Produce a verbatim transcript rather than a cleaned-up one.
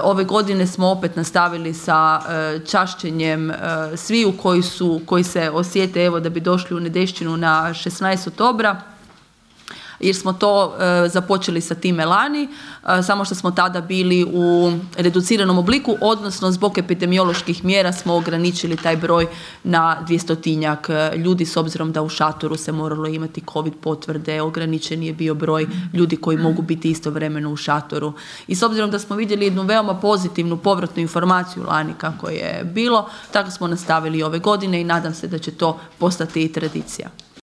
Ove godine smo opet nastavili sa čašćenjem sviju koji su, koji se osjete evo da bi došli u Nedešćinu na šesnaestog oktobra, jer smo to e, započeli sa time lani, e, samo što smo tada bili u reduciranom obliku, odnosno zbog epidemioloških mjera smo ograničili taj broj na dvjestotinjak ljudi, s obzirom da u šatoru se moralo imati covid potvrde, ograničen je bio broj ljudi koji mogu biti istovremeno u šatoru. I s obzirom da smo vidjeli jednu veoma pozitivnu povratnu informaciju lani kako je bilo, tako smo nastavili ove godine i nadam se da će to postati i tradicija.